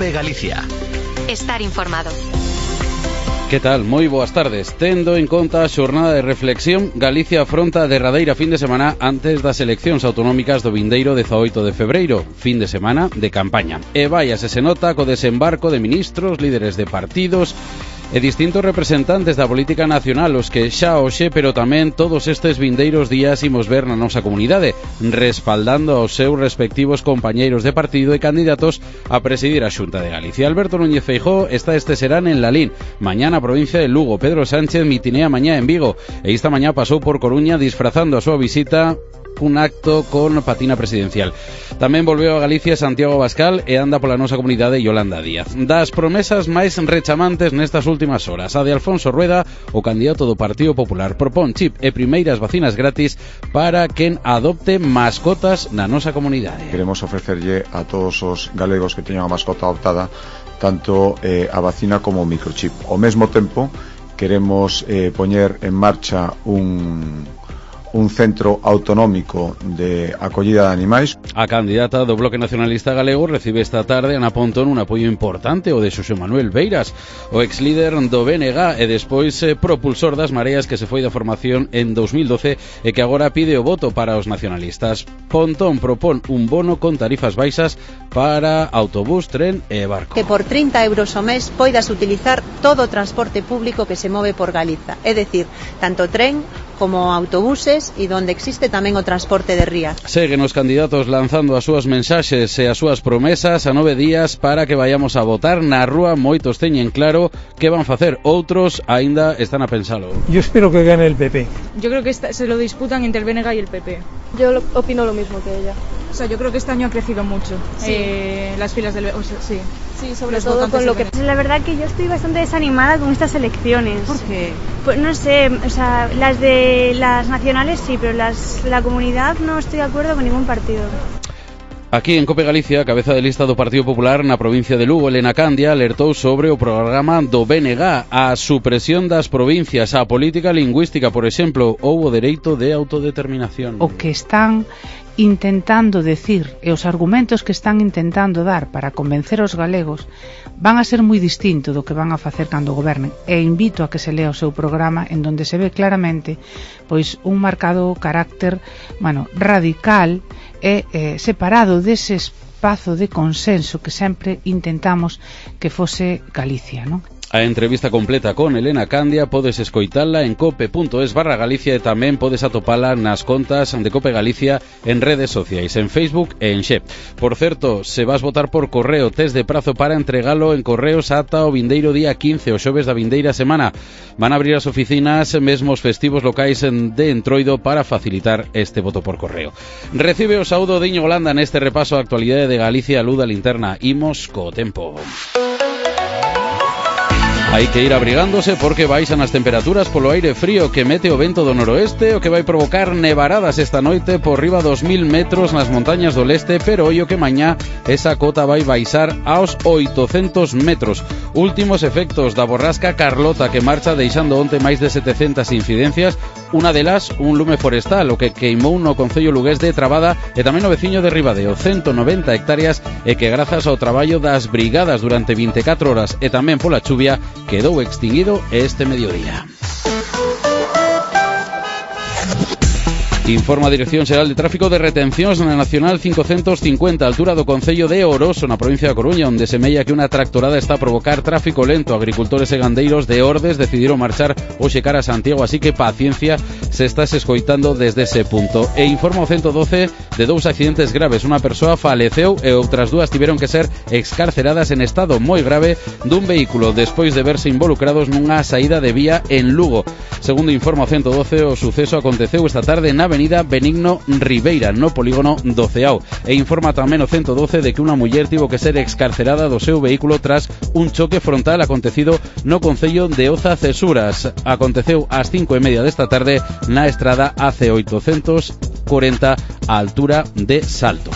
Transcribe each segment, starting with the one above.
COPE Galicia. Estar informado. Que tal? Moi boas tardes. Tendo en conta a xornada de reflexión, Galicia afronta a derradeira fin de semana antes das eleccións autonómicas do vindeiro 18 de febreiro, fin de semana de campaña. E vaiase se nota co desembarco de ministros, líderes de partidos e distintos representantes da política nacional, os que xa hoxe, pero tamén todos estes vindeiros días imos ver na nosa comunidade, respaldando aos seus respectivos compañeiros de partido e candidatos a presidir a Xunta de Galicia. Alberto Núñez Feijóo está este serán en Lalín, mañá na provincia de Lugo. Pedro Sánchez mitinea mañá en Vigo e esta mañá pasou por Coruña disfrazando a súa visita un acto con patina presidencial. Tamén volveu a Galicia Santiago Abascal e anda pola nosa comunidade Yolanda Díaz. Das promesas máis rechamantes nestas últimas horas, a de Alfonso Rueda, o candidato do Partido Popular, propón chip e primeiras vacinas gratis para quen adopte mascotas na nosa comunidade. Queremos ofrecerlle a todos os galegos que teñan a mascota adoptada tanto a vacina como o microchip. Ao mesmo tempo, queremos poñer en marcha un centro autonómico de acollida de animais. A candidata do Bloque Nacionalista Galego recibe esta tarde Ana Pontón un apoio importante, o de Xosé Manuel Beiras, o ex-líder do BNG e despois propulsor das Mareas, que se foi da formación en 2012 e que agora pide o voto para os nacionalistas. Pontón propón un bono con tarifas baixas para autobús, tren e barco. Que por 30 euros ao mes poidas utilizar todo o transporte público que se move por Galiza, é dicir, tanto tren como autobuses e donde existe tamén o transporte de ría. Seguen os candidatos lanzando as súas mensaxes e as súas promesas a 9 días para que vayamos a votar na rúa. Moitos teñen claro que van facer, outros aínda están a pensalo. Yo espero que gane el PP. Yo creo que se lo disputan entre el BNG y el PP. Yo opino lo mismo que ella. O sea, yo creo que este año ha crecido mucho las filas del... sí, sobre todo con lo que... La verdad que yo estoy bastante desanimada con estas elecciones. ¿Por qué? Pues no sé, o sea, las de las nacionales sí, pero la comunidad no estoy de acuerdo con ningún partido. Aquí en COPE Galicia, cabeza de lista do Partido Popular na provincia de Lugo, Elena Candia, alertou sobre o programa do BNG, a supresión das provincias, a política lingüística, por exemplo, ou o dereito de autodeterminación. O que están intentando decir e os argumentos que están intentando dar para convencer aos galegos van a ser moi distinto do que van a facer cando gobernen, e invito a que se lea o seu programa, en donde se ve claramente pois un marcado carácter radical e separado dese espazo de consenso que sempre intentamos que fose Galicia, non? A entrevista completa con Elena Candia podes escoitala en cope.es/Galicia e tamén podes atopala nas contas de Cope Galicia en redes sociais, en Facebook e en Xe. Por certo, se vas votar por correo, tes de prazo para entregalo en correos ata o vindeiro día 15, o xoves da vindeira semana. Van a abrir as oficinas, mesmo os festivos locais de Entroido, para facilitar este voto por correo. Recibe o saúdo de Íñigo Landa neste repaso a actualidade de Galicia, Luda Linterna. Imos co tempo. Hai que ir abrigándose porque baixan as temperaturas polo aire frío que mete o vento do noroeste, o que vai provocar nevaradas esta noite por riba dos 1000 metros nas montañas do leste, pero ollo que mañá esa cota vai baixar aos 800 metros. Últimos efectos da borrasca Carlota, que marcha deixando onte máis de 700 incidencias, unha delas un lume forestal, o que queimou no concello lugués de Trabada e tamén no veciño de Ribadeo, 190 hectáreas, e que grazas ao traballo das brigadas durante 24 horas e tamén pola chuvia quedou extinguido este mediodía. Informa a Dirección Xeral de Tráfico de retencións na Nacional 550, altura do concello de Oroso, na provincia da Coruña, onde semella que unha tractorada está a provocar tráfico lento. Agricultores e gandeiros de Ordes decidiron marchar hoxe cara a Santiago, así que paciencia se estás escoitando desde ese punto. E informa o 112 de 2 accidentes graves. Unha persoa faleceu e outras 2 tiveron que ser excarceradas en estado moi grave dun vehículo despois de verse involucrados nunha saída de vía en Lugo. Segundo informa o 112, o suceso aconteceu esta tarde na avenida Benigno Ribeira, no polígono do Ceao. E informa tamén o 112 de que unha muller tivo que ser excarcerada do seu vehículo tras un choque frontal acontecido no concello de Oza Cesuras. Aconteceu ás 5:30 desta tarde na estrada AC840 á altura de Salto.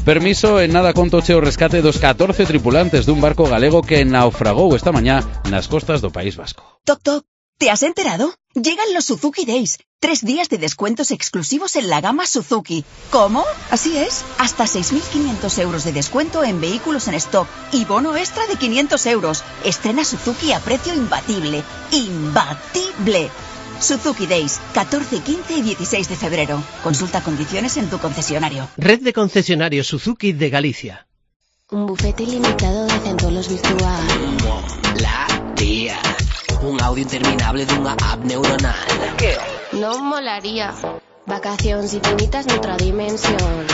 Permiso en nada contoche o rescate dos 14 tripulantes dun barco galego que naufragou esta mañá nas costas do País Vasco. Toc, toc. ¿Te has enterado? Llegan los Suzuki Days. 3 días de descuentos exclusivos en la gama Suzuki. ¿Cómo? Así es. Hasta 6.500 euros de descuento en vehículos en stock y bono extra de 500 euros. Estrena Suzuki a precio imbatible. ¡Imbatible! Suzuki Days, 14, 15 y 16 de febrero. Consulta condiciones en tu concesionario. Red de concesionarios Suzuki de Galicia. Un bufete ilimitado de centolos virtual. La tía. Un audio interminable dunha app neuronal. Que non molaría. Vacacións infinitas noutra dimensión.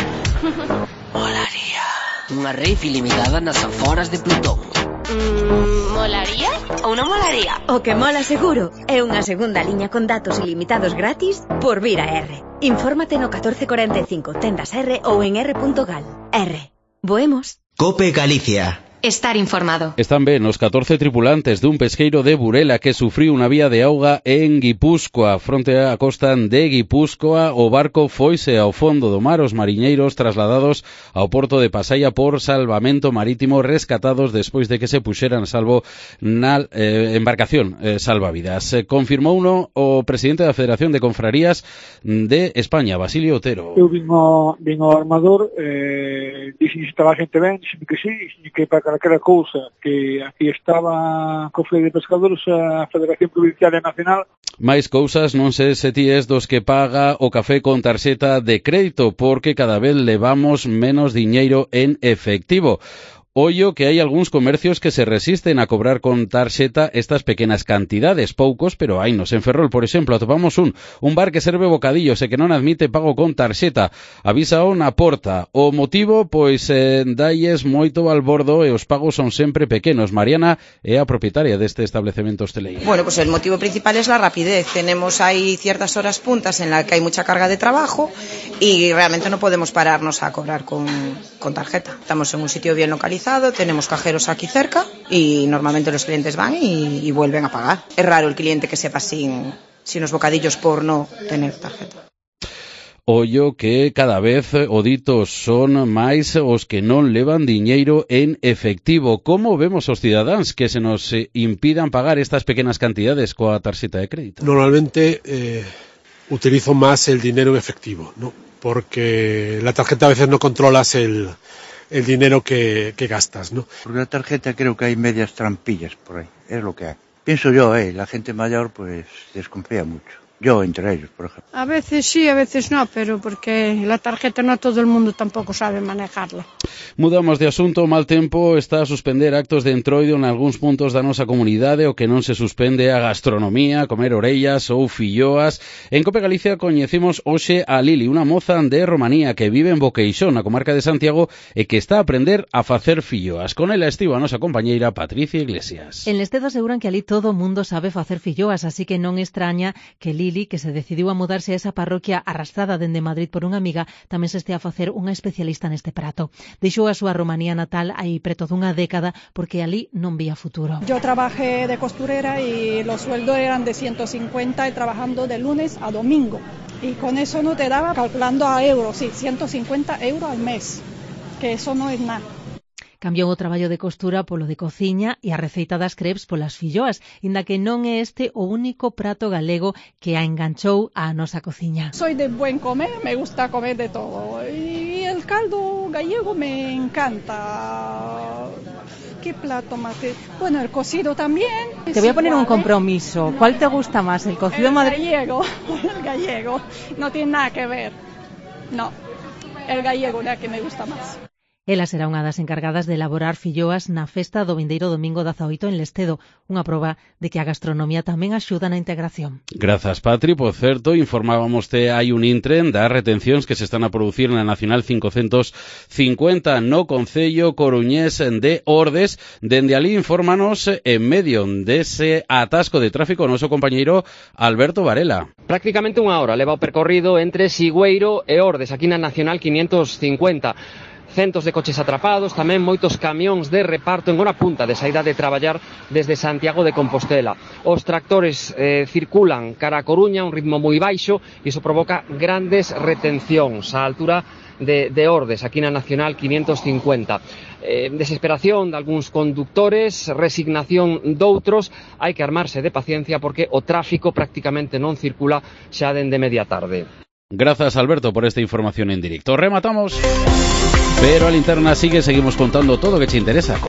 Molaría. Unha rave ilimitada nas aforas de Plutón. Molaría ou non molaría? O que mola seguro é unha segunda liña con datos ilimitados gratis por vir a R. Infórmate no 1445 tendas R ou en r.gal. R. Voemos. Cope Galicia. Estar informado. Están ben os 14 tripulantes dun pesqueiro de Burela que sufriu unha vía de auga en Guipúzcoa. Fronte á costa de Guipúzcoa, o barco foise ao fondo do mar, os mariñeiros trasladados ao porto de Pasaia por salvamento marítimo, rescatados despois de que se puxeran salvo na embarcación salvavidas. Confirmouno o presidente da Federación de Confrarías de España, Basilio Otero. Eu vin ao armador, dixen se estaba a xente ben, dixen que sí, dixen que para calquera cousa que aquí estaba Cofre de Pescadores, a Federación Provincial e Nacional. Mais cousas, non sei se ti es dos que paga o café con tarxeta de crédito, porque cada vez levamos menos diñeiro en efectivo. Ollo que hai algúns comercios que se resisten a cobrar con tarxeta estas pequenas cantidades, poucos, pero hainos. En Ferrol, por exemplo, atopamos un bar que serve bocadillos e que non admite pago con tarxeta. Avísao na porta. O motivo, pois, dalles moito balbordo e os pagos son sempre pequenos. Mariana é a propietaria deste establecemento hosteleiro. Bueno, pues el motivo principal es la rapidez. Tenemos ahí ciertas horas puntas en las que hay mucha carga de trabajo y realmente no podemos pararnos a cobrar con tarjeta. Estamos en un sitio bien localizado, tenemos cajeros aquí cerca y normalmente los clientes van y vuelven a pagar. Es raro el cliente que sepa sin los bocadillos por no tener tarjeta. Ollo que cada vez oditos son máis os que non levan diñeiro en efectivo. Como vemos os cidadáns que se nos impidan pagar estas pequenas cantidades coa tarxeta de crédito? Normalmente utilizo más el dinero en efectivo, ¿no? Porque la tarjeta a veces no controlas el dinero que gastas, ¿no? Porque la tarjeta creo que hay medias trampillas por ahí, es lo que hay. Pienso yo, la gente mayor pues desconfía mucho. Yo entre ellos, por ejemplo. A veces sí, a veces no, pero porque la tarjeta no todo el mundo tampoco sabe manejarla. Mudamos de asunto. Mal tempo está a suspender actos de entroido en algúns puntos da nosa comunidade. O que non se suspende a gastronomía, comer orellas ou filloas. En Cope Galicia coñecemos hoxe a Lili, unha moza de Romanía que vive en Boqueixón, na comarca de Santiago, e que está a aprender a facer filloas. Con ela estivo a nosa compañeira Patricia Iglesias. En Lestedo aseguran que ali todo o mundo sabe facer filloas, así que non extraña que Lili, que se decidiu a mudarse a esa parroquia arrastrada dende Madrid por unha amiga, tamén se estea a facer unha especialista neste prato. Deixou a súa Romanía natal hai preto dunha década porque ali non vía futuro. Yo trabajé de costurera y los sueldos eran de 150 y trabajando de lunes a domingo. Y con eso no te daba, calculando a euros, sí, 150 euros al mes, que eso no es nada. Cambiou o traballo de costura polo de cociña e a receita das crepes polas filloas, inda que non é este o único prato galego que a enganchou á nosa cociña. Soy de buen comer, me gusta comer de todo. Y el caldo gallego me encanta. ¿Qué plato más? Bueno, el cocido también. Te voy a poner un compromiso. ¿Cuál te gusta más, el cocido madrileño? El gallego. No tiene nada que ver. No, el gallego es el que me gusta más. Ela será unha das encargadas de elaborar filloas na festa do vindeiro domingo 18 en Lestedo, unha proba de que a gastronomía tamén axuda na integración. Grazas, Patri. Por certo, informábamos que hai un intren das retencións que se están a producir na Nacional 550 no concello coruñés de Ordes. Dende ali infórmanos en medio dese atasco de tráfico o noso compañeiro Alberto Varela. Prácticamente unha hora leva o percorrido entre Sigüeiro e Ordes, aquí na Nacional 550. Centos de coches atrapados, tamén moitos camións de reparto en hora punta de saída de traballar desde Santiago de Compostela. Os tractores circulan cara a Coruña a un ritmo moi baixo e iso provoca grandes retencións á altura de Ordes, aquí na Nacional 550. Desesperación de algúns condutores, resignación doutros, hai que armarse de paciencia porque o tráfico prácticamente non circula xa dende media tarde. Gracias, Alberto, por esta información en directo. Rematamos, pero a linterna seguimos contando todo o que te interesa.